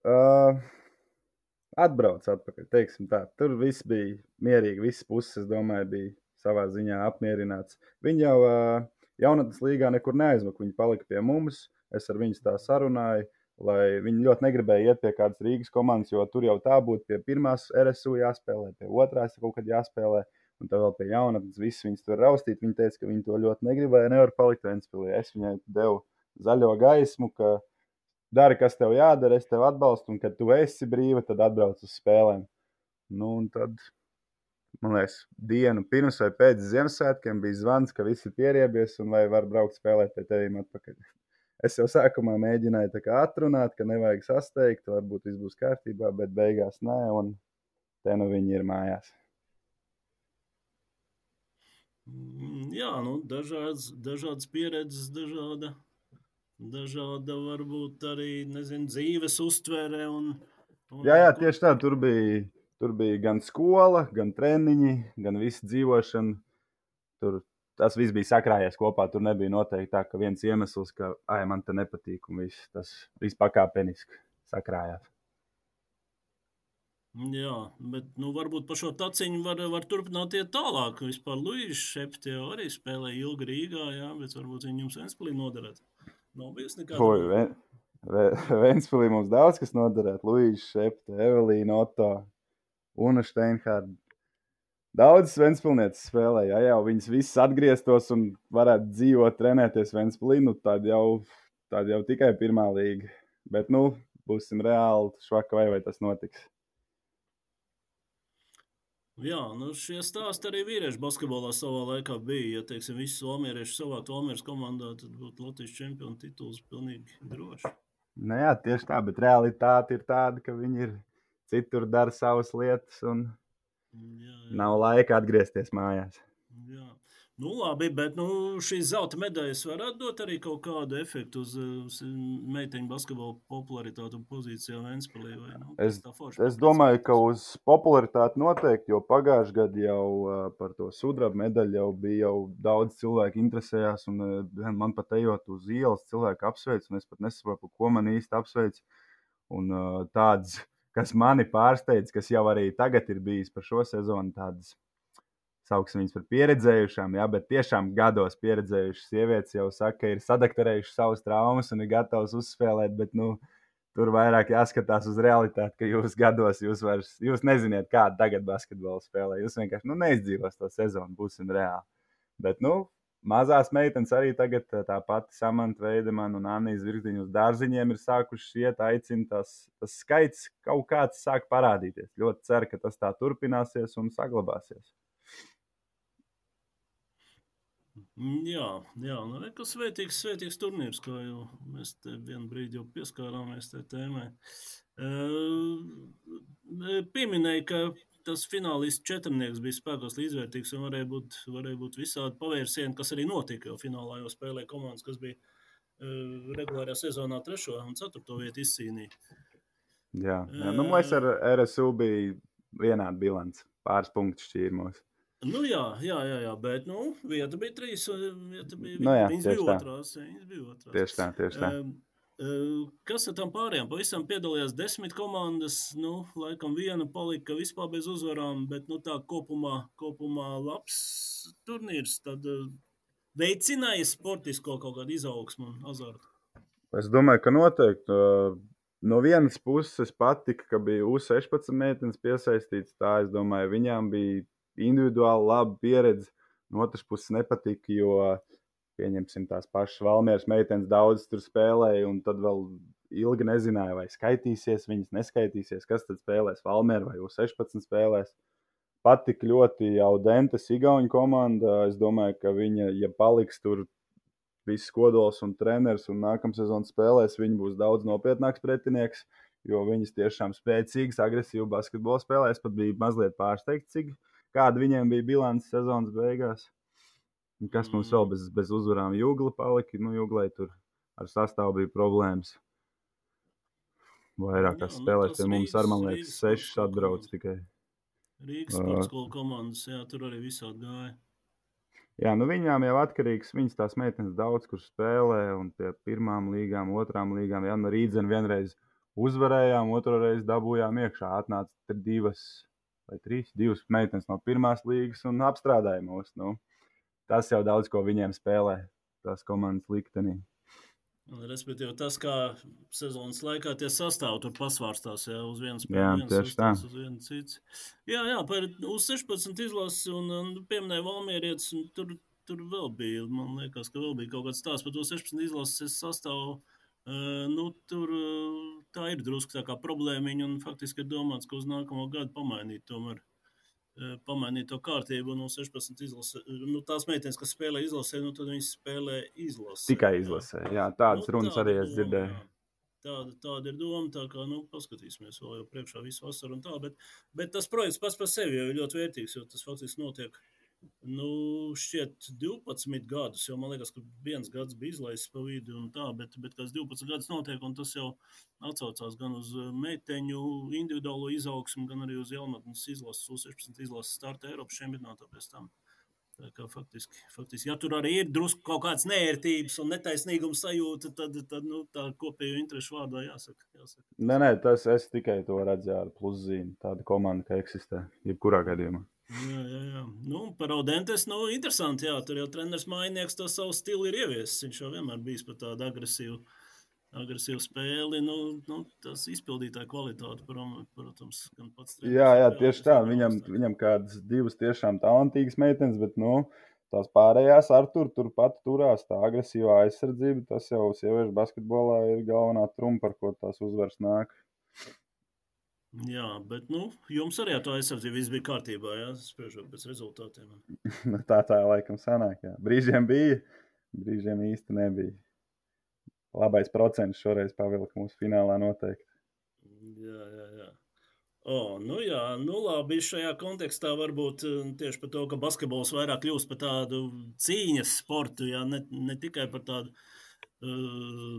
Uh, atbrauc atpakaļ, teiksim tā. Tur viss bija mierīgi, visas puses, es domāju, bija savā ziņā apmierināts. Viņi jau uh, jaunatnes līgā nekur neaizmuka, viņi palika pie mums. Es ar viņus tā sarunāju, lai viņi ļoti negribēja iet pie kādas Rīgas komandas, jo tur jau tā būtu pie pirmās R S U jāspēlē, pie otrās kaut kad jāspēlē. Un tad vēl pie jaunatnes viss viņas tur raustīt. Viņa teica, ka viņi to ļoti negribēja, nevar palikt Ventspilī. Es viņai devu zaļo gaismu, ka dari, kas tev jādara, es tev atbalstu, un kad tu esi brīva, tad atbrauc uz spēlēm. Nu, un tad, man liekas, dienu pirms vai pēc Ziemassvētkiem bija zvans, ka visi ir pieriebies un vai var braukt spēlēt pie tevīm atpakaļ. Es jau sākumā mēģināju tā kā atrunāt, ka nevajag sasteigt, varbūt viss būs kārtībā, bet beigās nē, un te nu viņi ir mājās. Jā, nu, dažādas, dažādas pieredzes, dažāda, dažāda varbūt arī, nezinu, dzīves uztvere. Un, un, jā, jā, tieši tā, tur bija, tur bija gan skola, gan treniņi, gan visa dzīvošana. Tur tas viss bija sakrājies kopā, tur nebija noteikti tā, ka viens iemesls, ka, ai, man te nepatīk, un viss, tas viss pakāpeniski sakrājās. Jā, bet nu, varbūt par šo taciņu var, var turpināt iet tālāk. Vispār Luīša Šepta jau arī spēlēja ilgi Rīgā, jā, bet varbūt viņi jums Ventspilī noderēt. Nav bijusi nekāda. Oi, Ven, Ventspilī mums daudz kas noderēt. Luīša Šepta, Evelīna Otto, Una Steinhārda. Daudzas Ventspilnieces spēlēja, ja jau viņas visas atgrieztos un varētu dzīvot, trenēties Ventspilī, nu tad jau, tad jau tikai pirmā līga. Bet, nu, būsim reāli švaka vai vai tas notiks. Jā, nu šie stāsti arī vīriešu basketbolā savā laikā bija. Ja, teiksim, visi somierieši savākt Valmieras komandā, tad būtu Latvijas čempionu tituls pilnīgi droši. Nu jā, tieši tā, bet realitāte ir tāda, ka viņi ir citur, dara savas lietas un Jā, jā. nav laika atgriezties mājās. Jā. Nu, labi, bet nu, šīs zelta medaļas varētu dot arī kaut kādu efektu uz, uz meiteņu basketbola popularitāti un pozīcijām Ventspilī. Vai, nu, Es, tas tā forši es domāju, ka papriecinātos. uz popularitāti noteikti, jo pagājušajā gadā jau uh, par to sudraba medaļu jau bija jau daudz cilvēku interesējās, un uh, man pat ejot uz ielas cilvēku apsveic, un es pat nesaprotu, ko man īsti apsveic. Un uh, tāds, kas mani pārsteidz, kas jau arī tagad ir bijis par šo sezonu, tādas sauksim viņas par pieredzējušām, ja, bet tiešām gados pieredzējušas sievietes jau saka, ka ir sadakterējušas savas traumas un ir gatavas uzspēlēt, bet nu, tur vairāk jāskatās uz realitāti, ka jūs gados jūs, vairs, jūs neziniet, kāda tagad basketbola spēlē. Jūs vienkārši nu, neizdzīvos to sezonu, būsim reāli. Bet, nu, mazās meitenes arī tagad tā pati Samanta Veidemana un Annijas Virkziņa uz dārziņiem ir sākušas iet, aicina tas, tas skaits kaut kāds sāk parādīties. Ļoti ceru, ka tas tā turpināsies un saglabāsies. Jā, jā, nu, kas svētīgs, svētīgs turnīrs, kā jau mēs te vienu brīdi jau pieskārāmies tai tēmai. Uh, pieminēja, ka tas finālists četrnieks bija spēkos līdzvērtīgs un varēja būt, varēja būt visādi pavērsieni, kas arī notika, jo finālā jau spēlēja komandas, kas bija uh, regulārajā sezonā trešo un ceturto vietu izcīnīja. Jā, jā. Nu, mēs ar R S U bija vienādi bilants, pāris punktus šķīrmos. Nu jā, jā, jā, jā, bet nu, vieta bija trīs, vieta bija, Nu jā, viņas tieši bija tā. otrās, viņas bija otrās. Tieši tā, tieši tā. Um, uh, kas ar tam pārējām? Pavisam piedalījās desmit komandas, nu, laikam viena palika vispār bez uzvarām, bet, nu, tā kopumā, kopumā labs turnīrs, tad uh, veicināja sportisko kaut kādu izaugsmu un azartu. Es domāju, ka noteikti. Uh, no vienas puses patika, ka bija U sešpadsmit meitenes piesaistīts, tā es domāju, viņām bija individuāli laba pieredze. No otras puses nepatika, jo, pieņemsim, tās pašas Valmieras meitenes daudz tur spēlēja, un tad vēl ilgi nezināja, vai skaitīsies, viņas neskaitīsies, kas tad spēlēs Valmiera vai U sešpadsmit spēlēs. Patika ļoti jau Dentes Igauņu komanda. Es domāju, ka viņa, ja paliks tur viss kodols un treneris un nākamā sezona spēlēs, viņi būs daudz nopietnāks pretinieks, jo viņas tiešām spēcīgas, agresīvas basketbola spēlē. Es pat biju mazliet pārsteigts, cik kāda viņiem bija bilants sezonas beigās. Un kas mums vēl bez, bez uzvarām? Jugla palika. Nu, Juglai tur ar sastāvu bija problēmas. Vairākās spēlēs pie mums ar, man liekas, sešas atbrauc tikai. Rīgas sporta skola komandas, jā, tur arī visādi gāja. Jā, nu viņām jau atkarīgs, viņas tās meitenes daudz kur spēlē, un pie pirmām līgām, otrām līgām, jā, no Rīdzena vienreiz uzvarējām, otru reizi dabūjām iekšā, atnāca divas vai trīs, divas meitenes no pirmās līgas un apstrādāja mūs, nu, tas jau daudz ko viņiem spēlē, tās komandas liktenī. Respektīvi, tas, kā sezonas laikā tie sastāv tur pasvārstās, jā, uz vienu spēli, Jā, viens tieši tā. sastāvs, uz vienu cits. Jā, jā, par U sešpadsmit izlases un, un pieminēja Valmierietis, un tur, tur vēl bija, man liekas, ka vēl bija kaut kāds stāsts par U sešpadsmit izlases sastāvu. Uh, nu, tur uh, tā ir drusku tā kā problēmiņa, un faktiski ir domāts, ka uz nākamo gadu pamainīt tomēr. Pamainīt to kārtību no sešpadsmit izlasē. Nu, tās meitenes, kas spēlē izlasē, nu, tad viņas spēlē izlasē. Tikai izlasē, jā, jā tādas nu, runas arī es dzirdēju. Jā. Tāda, tāda ir doma, tā kā, nu, paskatīsimies vēl jau priekšā visu vasaru un tā, bet, bet tas projekts pats par sevi jau ir ļoti vērtīgs, jo tas faktiski notiek, nu, šķiet divpadsmit gadus, jo man liekas, ka viens gads bija izlaists pa vidu un tā, bet, bet kas divpadsmit gadus notiek, un tas jau atsaucās gan uz meiteņu individuālo izaugsmu, gan arī uz jaunatnes izlases, U sešpadsmit izlases starta Eiropas čempionātā pēc tam. Tā kā faktiski, faktiski, ja tur arī ir drusku kaut kāds neērtības un netaisnīgums sajūta, tad, tad nu, tā kopējo interešu vārdā jāsaka. jāsaka. Nē, nē, tas es tikai to redzu ar pluszīmi. Tāda komanda, ka eksistē, jebkurā gadījumā. Jā, jā, jā. Nu, par Audentes, nu, interesanti, jā, tur jau treneris Mainieks to savu stilu ir ieviesis. Viņš jau vienmēr bijis par tādu agresīvu, agresīvu spēli, nu, nu, tas izpildītāja kvalitāte, protams, gan pats treneris. Jā, jā, tieši tā, viņam, viņam kādas divas tiešām talantīgas meitenes, bet, nu, tās pārējās ar tur, turpat turās, tā agresīvā aizsardzība, tas jau sieviešu basketbolā ir galvenā trumpa, par ko tās uzvaras nāk. Jā, bet nu, jums arī ar to aizsardzību viss bija kārtībā, jā, spriežot pēc rezultātiem. Nu, tā tā laikam sanāk, jā. Brīžiem bija, brīžiem īsti nebija. Labais procents šoreiz pavilka mūsu finālā noteikti. Jā, jā, jā. O, nu jā, nu labi, šajā kontekstā varbūt tieši par to, ka basketbols vairāk kļūst par tādu cīņas sportu, jā, ne, ne tikai par tādu uh,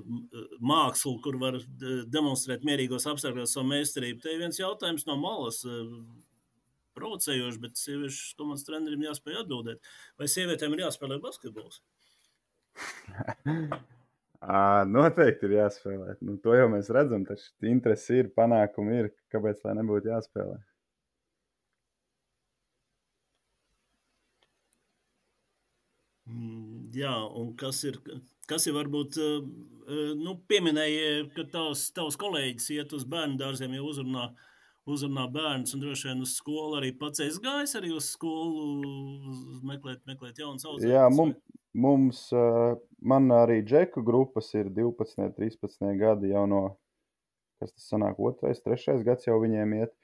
mākslu, kur var demonstrēt mierīgos apstākļos savu meistarību. Te ir viens jautājums no malas, uh, provocējoši, bet sieviešu komandas trenerim jāspēj atbildēt. Vai sievietēm ir jāspēlē basketbols? À, noteikti ir jāspēlē. Nu, to jau mēs redzam, taču interesi ir, panākumi ir. Kāpēc tā nebūtu jāspēlē? Mm, jā, un kas ir, kas ir varbūt, nu, pieminēja, ka tavs, tavs kolēģis iet uz bērnu dārziem, jau uzrunā, uzrunā bērnus, un droši vien uz skolu arī pats esi gājis arī uz skolu meklēt, meklēt jaunas Jā, audzēknes, mums, mums, man arī džeku grupas ir divpadsmit, trīspadsmit gadi jau no, kas tas sanāk, otrais, trešais gads jau viņiem iet.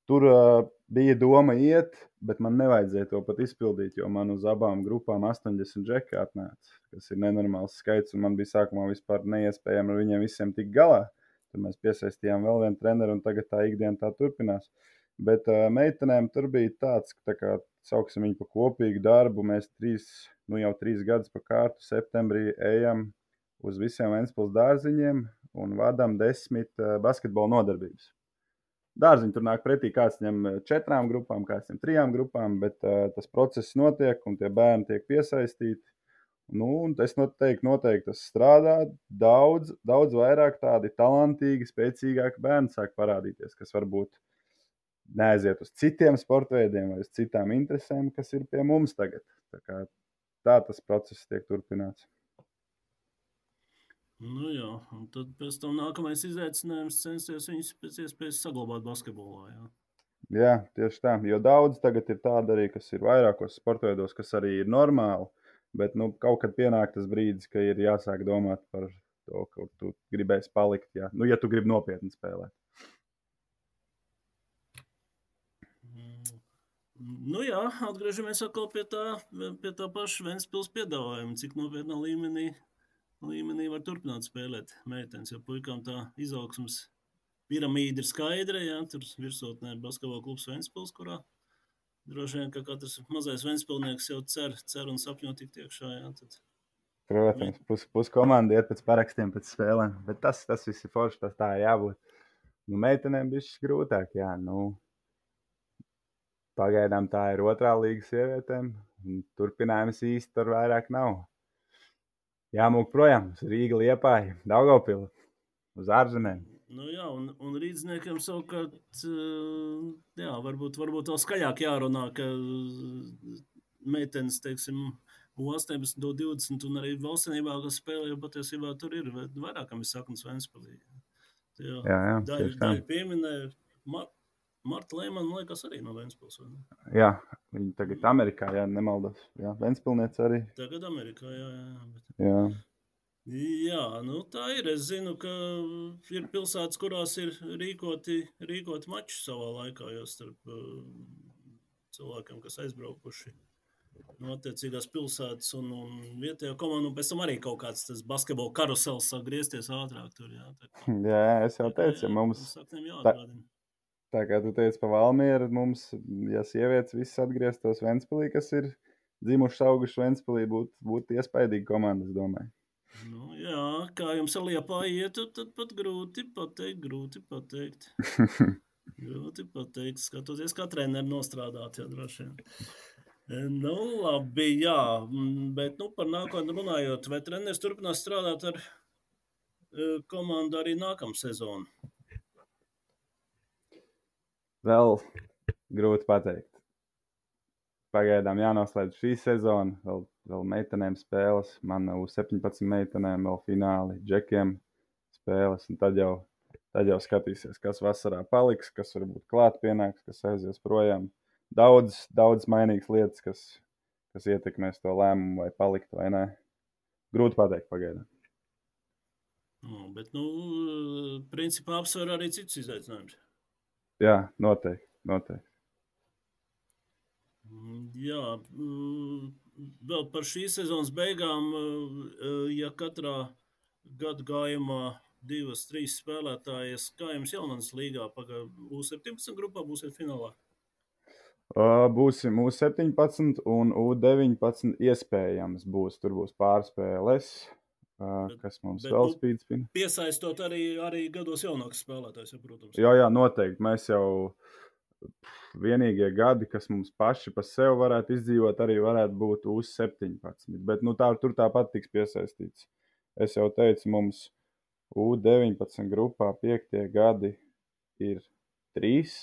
Tur uh, bija doma iet, bet man nevajadzēja to pat izpildīt, jo man uz abām grupām astoņdesmit džeki atnāca, kas ir nenormāls skaits, un man bija sākumā vispār neiespējami ar viņiem visiem tikt galā. Tad mēs piesaistījām vēl vienu treneru, un tagad tā ikdiena tā turpinās. Bet uh, meitenēm tur bija tāds, tā kā sauksim viņu pa kopīgu darbu, mēs trīs, nu jau trīs gadus pa kārtu septembrī ejam uz visiem Ventspils dārziņiem un vadam desmit uh, basketbola nodarbības. Dārziņi tur nāk pretī, kāds ņem četrām grupām, kāds ņem trijām grupām, bet uh, tas process notiek un tie bērni tiek piesaistīti. Nu, un es noteikti, noteikti tas strādā. Daudz, daudz vairāk tādi talantīgi, spēcīgāki bērni sāk parādīties, kas varbūt neaiziet uz citiem sportveidiem vai uz citām interesēm, kas ir pie mums tagad. Tā, kā, tā tas process tiek turpināts. Nu jā, un tad pēc tam nākamais izaicinājums censties viņus pēc iespējas saglabāt basketbolā, jā. Jā, tieši tā, jo daudz tagad ir tāda arī, kas ir vairākos sportveidos, kas arī ir normāli, bet nu, kaut kad pienāk tas brīdis, ka ir jāsāk domāt par to, ka tu gribēsi palikt, jā. Nu, ja tu gribi nopietni spēlēt. Mm. Nu jā, atgriežamies atkal pie tā, pie tā paša Ventspils piedāvājuma, cik nopietnā līmenī, līmenī var turpināt spēlēt meitenes, jo puikām tā izaugsmas piramīda ir skaidra, jā, tur virsotnē basketbola klubs Ventspils, kurā droši vien, ka katrs mazais Ventspilnieks jau cer, cer un sapņo tikt iekšā, jā, tad. Protams, pus, pus komanda iet pēc parakstiem, pēc spēlēm, bet tas, tas viss ir forši, tas tā jābūt. Nu, meitenēm bišķi grūtāk, jā, nu, pagaidām tā ir otrā līga sievietēm, un turpinājums īsti tur vairāk nav. Jāmūk projām uz Rīga, Liepāja, Daugavpili, uz ārzemēm. Nu jā, un, un rīdzniekiem savukārt, jā, varbūt, varbūt vēl skaļāk jārunā, ka meitenes, teiksim, U astoņpadsmit, divdesmit un arī valstsvienībā, kas spēlē, jo patiesībā tur ir vairākam ir saknes Ventspilī. Jā, jā, jā, daļa, daļa pieminēja, Mar Marta Lēmana, man liekas, arī no Ventspils, vai ne? Jā, viņa tagad Amerikā, jā, nemaldos. Jā, Ventspilniece arī. Tagad Amerikā, jā, jā. Bet... Jā. Jā, nu tā ir. Es zinu, ka ir pilsētas, kurās ir rīkoti, rīkoti mači savā laikā, jo starp uh, cilvēkiem, kas aizbraukuši no attiecīgās pilsētas un, un vietējā komandu, un pēc tam arī kaut kāds tas basketbola karusels sāk griezties ātrāk tur, jā. Tā kā, jā, es jau teicu, ja mums... Tā, tā kā tu teici pa Valmieru, mums, ja sievietes viss atgrieztos Ventspilī, kas ir dzimuši auguši Ventspilī, būtu būt iespaidīga komanda, es domāju. Nu, jā, kā jums ar Liepā ietu, tad pat grūti pateikt, grūti pateikt. grūti pateikt, skatoties, kā treneri nostrādāt, jā, droši vien. Nu, labi, jā, bet, nu, par nākotni runājot, vai treneris turpinās strādāt ar uh, komandu arī nākamā sezonu? Vēl grūti pateikt. Pagaidām jānoslēdz šī sezona, vēl, vēl meitenēm spēles, man uz septiņpadsmit meitenēm vēl fināli, džekiem spēles, un tad jau, tad jau skatīsies, kas vasarā paliks, kas varbūt klāt pienāks, kas aizies projām. Daudz, daudz mainīgas lietas, kas, kas ietekmēs to lēmumu, vai palikt vai nē. Grūti pateikt pagaidām. No, bet, nu, principā apsver arī citus izaicinājumus. Jā, noteikti, noteikti. Jā, vēl par šīs sezonas beigām, ja katrā gadu gājumā divas, trīs spēlētājas, kā jums Jaunatnes līgā, U septiņpadsmit grupā būsiet finālā? Uh, būsim U septiņpadsmit un U deviņpadsmit iespējams būs. Tur būs pārspēles, uh, Bet, kas mums bet, vēl nu, spīd spina. Piesaistot arī, arī gados jaunākus spēlētājus, ja, protams. Jā, jā, noteikti. Mēs jau vienīgie gadi, kas mums paši pa sev varētu izdzīvot, arī varētu būt U septiņpadsmit. Bet nu, tā, tur tāpat tiks piesaistīts. Es jau teicu, mums U deviņpadsmit grupā piektie gadi ir trīs,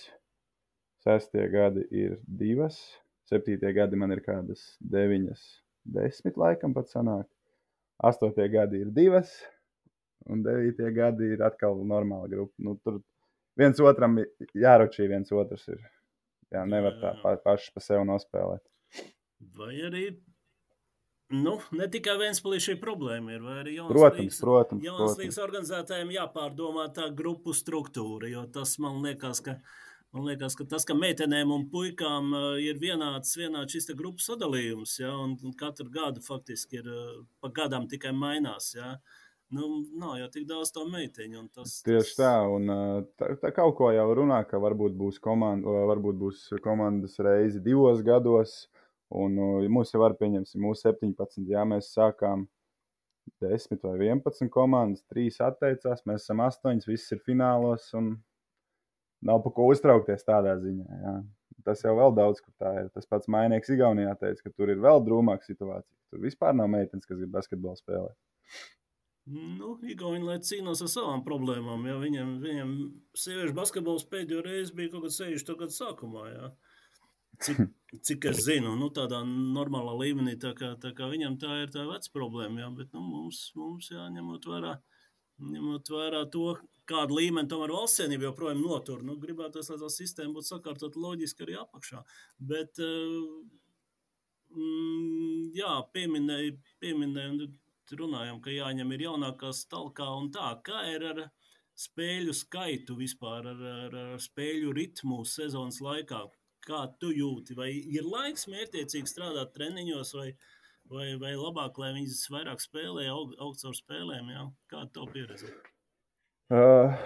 sestie gadi ir divas, septītie gadi man ir kādas deviņas, desmit laikam pat sanāk. Astotie gadi ir divas, un devītie gadi ir atkal normāla grupa. Nu, tur viens otram jāročī, viens otrs ir. Jā, nevar tā pa, paši pa sev nospēlēt. Vai arī, nu, ne tikai Ventspilī šī problēma ir, vai arī jaunas Protams, līgas, protams, jaunas protams. līgas organizētājiem jāpārdomā tā grupu struktūra, jo tas man liekas, ka, man liekas, ka tas, ka meitenēm un puikām uh, ir vienāds, vienāds šis te grupu sadalījums, ja, un katru gadu faktiski ir, uh, pa gadam tikai mainās, ja. Nu, nav jau tik daudz to meiteņu. Tas, Tieši tas... tā, un tā, tā kaut ko jau runā, ka varbūt būs, komanda, varbūt būs komandas reizi divos gados, un mums jau var pieņemsim U septiņpadsmit, jā, mēs sākām desmit vai vienpadsmit komandas, trīs atteicās, mēs esam astoņas, viss ir finālos, un nav pa ko uztraukties tādā ziņā, jā. Tas jau vēl daudz, kur tā ir. Tas pats Mainieks Igaunijā teica, ka tur ir vēl drūmāka situācija. Tur vispār nav meitenes, kas grib basketbolu spēlēt. Nu, Igauni, lai cīnās ar savām problēmām, ja viņiem, viņiem sieviešu basketbols pēdējo reizi bija kaut kad sešdesmito gadu sākumā, ja. Cik, cik es zinu, nu, tādā normālā līmenī, tā kā, tā kā viņam tā ir tā veca problēma, ja, bet, nu, mums, mums jā, ņemot vērā, ņemot vērā to, kādu līmeni tomēr valstsienība joprojām notur, nu, gribētos, lai tā sistēma būtu sakārtot loģiski arī apakšā, bet, mm, jā, pieminēju, pieminēju, runājam, ka jāņem ir jaunākās talkā un tā. Kā ir ar spēļu skaitu vispār, ar, ar, ar spēļu ritmu sezonas laikā? Kā tu jūti? Vai ir laiks mērķiecīgi strādāt treniņos, vai, vai, vai labāk, lai viņas vairāk spēlē, aug, augt caur spēlēm? Jā? Kāda tev pieredze? Uh,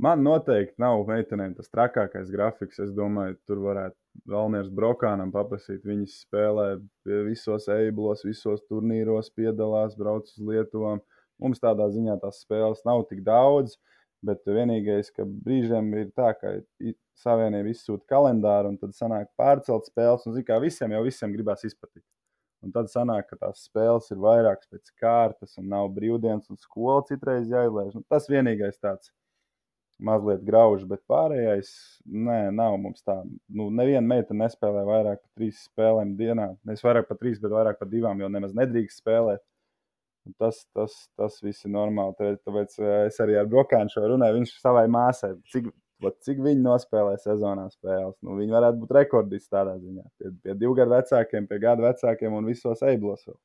man noteikti nav meitenēm tas trakākais grafiks. Es domāju, tur varētu Valmiers Brokānam paprasīt. Viņas spēlē visos eiblos, visos turnīros, piedalās, brauc uz Lietuvām. Mums tādā ziņā tās spēles nav tik daudz, bet vienīgais, ka brīžiem ir tā, ka savienība izsūta kalendāru un tad sanāk pārcelt spēles. Un, zin, kā visiem jau visiem gribās izpatikt. Un tad sanāk, ka tās spēles ir vairākas pēc kārtas un nav brīvdienas un skola citreiz jāizlaiž. Nu, tas vienīgais tāds mazliet grauž, bet pārējais, nē, nav mums tā. Nu, neviena meita nespēlē vairāk par trīs spēlēm dienā. Nevis vairāk par trīs, bet vairāk par divām, jo nemaz nedrīkst spēlēt. Tas, tas, tas viss ir normāli. Tāpēc es arī ar Brokānu šo runāju. Viņš savai māsai, cik, cik viņi nospēlē sezonā spēles. Nu, viņi varētu būt rekordisti tādā ziņā. Pie, pie divu gadu vecākiem, pie gadu vecākiem un visos eiblos vēl.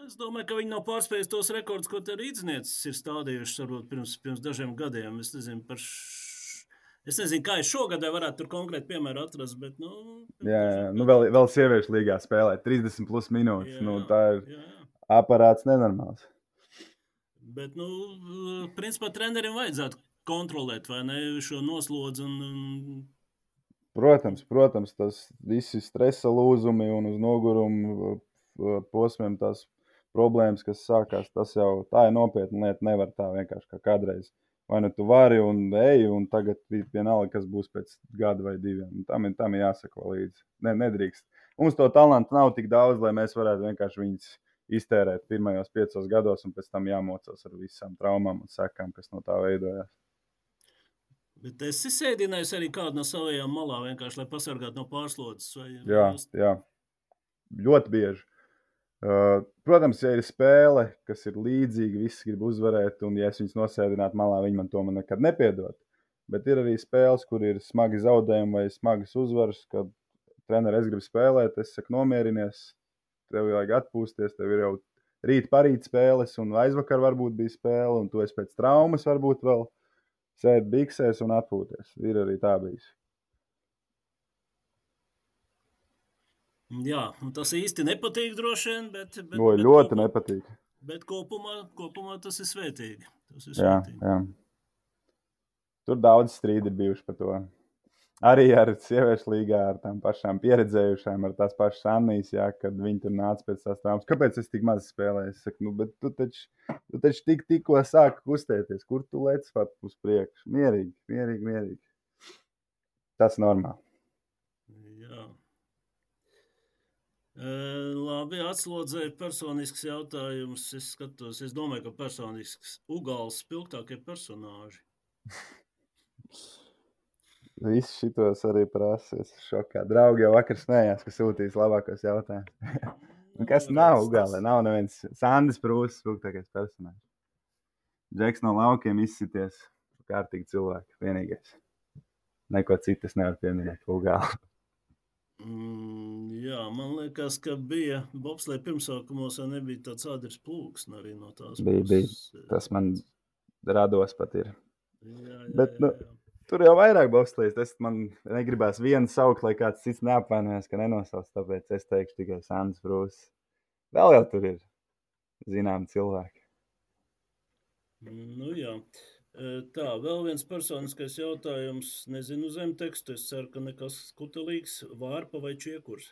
Es domāju, ka viņi nav pārspējuši tos rekordus, ko te rīdznieces ir stādījušas varbūt pirms, pirms dažiem gadiem. Es nezinu, par š... es nezinu, kā es šogad varētu tur konkrēti piemēru atrast, bet, nu... Jā, jā. Nu, vēl, vēl sieviešu līgā spēlē trīsdesmit plus minūtes. Jā, nu, tā ir jā, jā. Aparāts nenormāls. Bet, nu, principā trenerim vajadzētu kontrolēt, vai ne, šo noslodzi un... Protams, protams, tas visi stresa lūzumi un uz nogurumu posmiem tās problēmas, kas sākās, tas jau tā ir nopietna lieta, nevar tā vienkārši kā kādreiz. Vai nu tu vari un ej, un tagad vienalga, kas būs pēc gada vai diviem. Tam ir, tam ir jāsako līdzi. Ne, nedrīkst. Mums to talantu nav tik daudz, lai mēs varētu vienkārši viņus iztērēt pirmajos piecos gados un pēc tam jāmocās ar visām traumām un sekām, kas no tā veidojās. Bet es sēdināju arī kādu no savajām malā vienkārši, lai pasargātu no pārslodzes. Vai, jā, jūs... jā. Ļoti bieži. Uh, protams, ja ir spēle, kas ir līdzīga, visi grib uzvarēt, un ja es viņus nosēdinātu malā, viņi man to man nekad nepiedod. Bet ir arī spēles, kur ir smagi zaudējumi vai smagas uzvaras, kad treneri es gribu spēlēt, es saku nomierinies, tev vajag atpūsties, tev ir jau rīt parīt spēles, un aizvakar varbūt bija spēle, un tu esi pēc traumas varbūt vēl. sēdi biksēs un atpūties. Ir arī tā bijis. Jā, un tas īsti nepatīk droši vien, bet, bet, Oi, bet, ļoti kopumā, nepatīk. bet kopumā, kopumā tas ir svētīgi. Tas ir Jā, svētīgi. jā. Tur daudz strīdi ir bijuši par to. Arī ar sieviešu līgā, ar tām pašām pieredzējušām, ar tās pašas Annijas, jā, kad viņi tur nāca pēc tās traumas. Kāpēc es tik maz spēlēju? Es saku, nu, bet tu taču, tu taču tik, tikko sāki kustēties. Kur tu lec pat uz priekšu? Mierīgi, mierīgi, mierīgi. Tas normāli. Jā. E, labi, atslodzēju personisks jautājums. Es skatos, es domāju, ka personisks Ugāls spilgtākie personāži. Viss šitos arī prasa. Es šokā. Draugi jau vakar smējās, ka sūtīs labākos jautājumus. Nu, kas Nu, nav redz, Ugālē? Nav neviens. Sandis Prūsis spilgtākais personāžs. Džeks no laukiem izsities. Kārtīgi cilvēki. Vienīgais. Neko citu es nevaru pieminēt Ugālē. Mm, jā, man liekas, ka bija bobslēja pirmsākumos, ja nebija tāds ādrs plūks arī no tās Bija, bija. puses. Tas man rados pat ir. Jā, jā, Bet, jā, nu, jā. tur jau vairāk bobslējas. Es man negribās vienu saukt, lai kāds cits neapvainojas, ka nenosauc. Tāpēc es teikšu tikai Sandis Prūsis. Vēl jau tur ir zināmi cilvēki. Nu, jā. Tā, vēl viens personiskais jautājums. Nezinu zemtekstu. Es ceru, ka nekas kutelīgs. Vārpa vai čiekurs?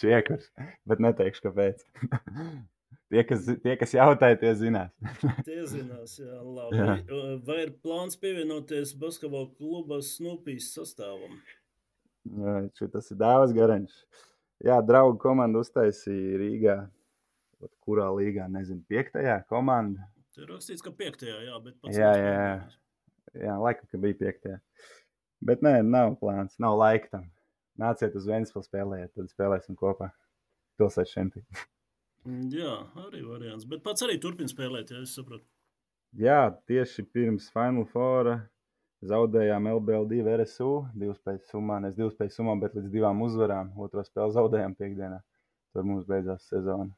Čiekurs, bet neteikšu, kāpēc. tie, kas, tie, kas jautāja, tie zinās. Tie zinās, jā, labi. Jā. Vai ir plāns pievienoties basketbola kluba Snoopijas sastāvam? Jā, tas ir Dāvas Garančs. Jā, draugu komandu uztaisīja Rīgā. Kurā līgā, nezinu, piektajā komanda. Te ir rakstīts, ka piektajā, jā, bet pats Jā, jā, jā. Jā, laikam, ka bija piektajā. Bet nē, nav plāns, nav laika tam. Nāciet uz Ventspili spēlēt, tad spēlēsim kopā. Pilsētas čempioni. Jā, arī variants. Bet pats arī turpina spēlēt, ja es saprotu. Jā, tieši pirms Final Foura zaudējām L B L divi R S U, divas spējas summā, nes divas spējas summā, bet līdz divām uzvarām. Otro spēli zaudējām piekdienā. Tur mums beidzās sezona.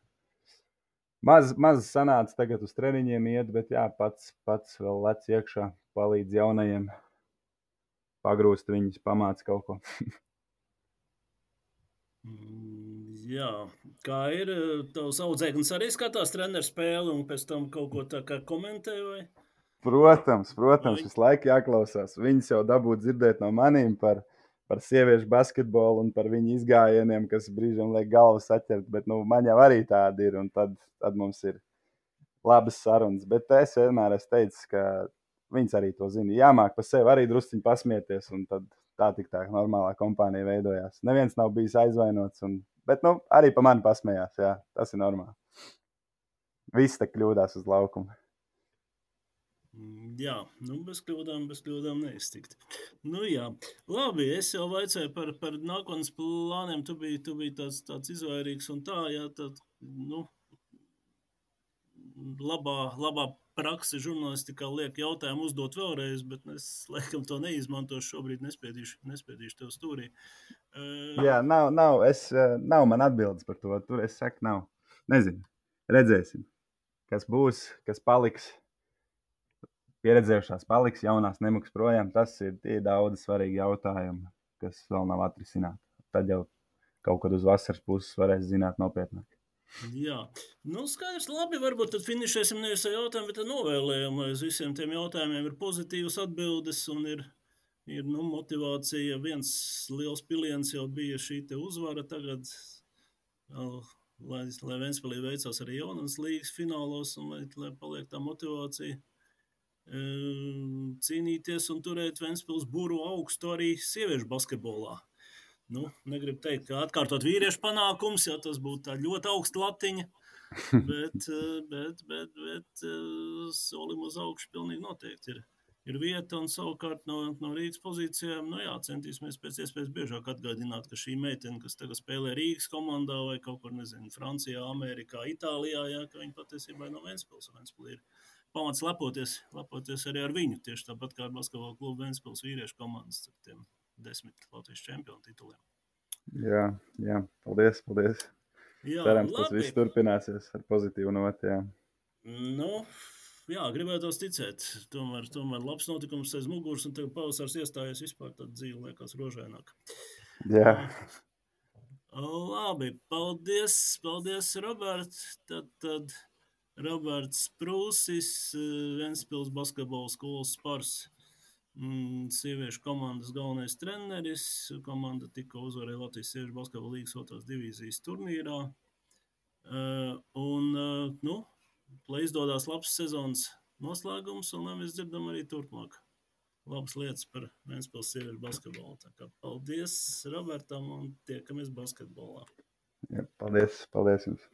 Maz, maz sanāca tagad uz treniņiem iet, bet jā, pats, pats vēl lec iekšā, palīdz jaunajiem, pagrūst viņus, pamāca kaut ko. Jā, kā ir, tavs audzēknis arī skatās treneru spēli un pēc tam kaut ko tā kā komentē, vai? Protams, protams, visu laiku jāklausās. Viņas jau dabūtu dzirdēt no manīm par, par sieviešu basketbolu un par viņu izgājieniem, kas brīžam liek galvu saķert, bet nu, man jau arī tādi ir, un tad, tad mums ir labas sarunas. Bet es vienmēr esmu teicis, ka viņas arī to zina. Jāmāk pa sevi arī drusciņi pasmieties, un tad tā tik tā normālā kompānija veidojās. Neviens nav bijis aizvainots, un, bet nu, arī pa mani pasmējās, jā, tas ir normāli. Viss te kļūdās uz laukumu. Jā, nu bez kļūdām, bez kļūdām neiztikt. Nu jā, labi, es jau vaicēju par, par nākotnes plāniem, tu biji, tu biji tāds, tāds izvairīgs un tā, jā, tad, nu, labā, labā prakse žurnālistikā liek jautājumu uzdot vēlreiz, bet es, laikam, to neizmantošu šobrīd, nespiedīšu, nespiedīšu tev stūrī. Uh, Jā, nav, nav, es, nav man atbildes par to, tur es saku, nav. Nezinu, redzēsim, kas būs, kas paliks. Pieredzējušās paliks, jaunās nemaks projām. Tas ir tie daudz svarīgi jautājumi, kas vēl nav atrisināti. Tad jau kaut kad uz vasaras puses varēs zināt nopietnāk. Jā, nu skaidrs, labi, varbūt tad finišēsim nevis ar jautājumu, bet ar novēlējumu, lai uz visiem tiem jautājumiem ir pozitīvas atbildes un ir, ir nu, motivācija. Viens liels piliens jau bija šī te uzvara tagad, lai, lai Ventspilī veicās arī jaunas līgas finālos un lai, lai paliek tā motivācija. Cīnīties un turēt Ventspils buru augstu arī sieviešu basketbolā. Nu, negribu teikt, ka atkārtot vīriešu panākums, jo tas būtu tā ļoti augsta latiņa, bet, bet, bet, bet solim uz augšu pilnīgi noteikti ir, ir vieta un savukārt no, no Rīgas pozīcijām, nu jā, centīsimies pēc iespējas biežāk atgādināt, ka šī meitene, kas tagad spēlē Rīgas komandā vai kaut kur, nezinu, Francijā, Amerikā, Itālijā, jā, ka viņa patiesībā no Ventspils, Ventspils ir pamats lepoties, lepoties arī ar viņu, tieši tāpat kā ar basketbola klubu Ventspils vīriešu komandas ar tiem desmit Latvijas čempionu tituliem. Jā, jā, paldies, paldies. Jā, cerams, labi. Tas viss turpināsies ar pozitīvu noti, jā. Nu, jā, gribētos ticēt. Tomēr, tomēr labs notikums aiz muguras, un tagad pavasars iestājies vispār, tad dzīve liekas rožaināk. Jā. Uh, labi, paldies, paldies, Robert. Tad, tad Roberts Prūsis, Ventspils basketbola skolas Spars, mm, sieviešu komandas galvenais treneris. Komanda tikko uzvarēja Latvijas sieviešu basketbola līgas otrās divīzijas turnīrā. Uh, un, uh, nu, lai izdodas labs sezonas noslēgums, un lai mēs dzirdam arī turpmāk labas lietas par Ventspils sieviešu basketbolu. Tā kā paldies Robertam un tiekamies basketbolā. Jā, paldies, paldies jums.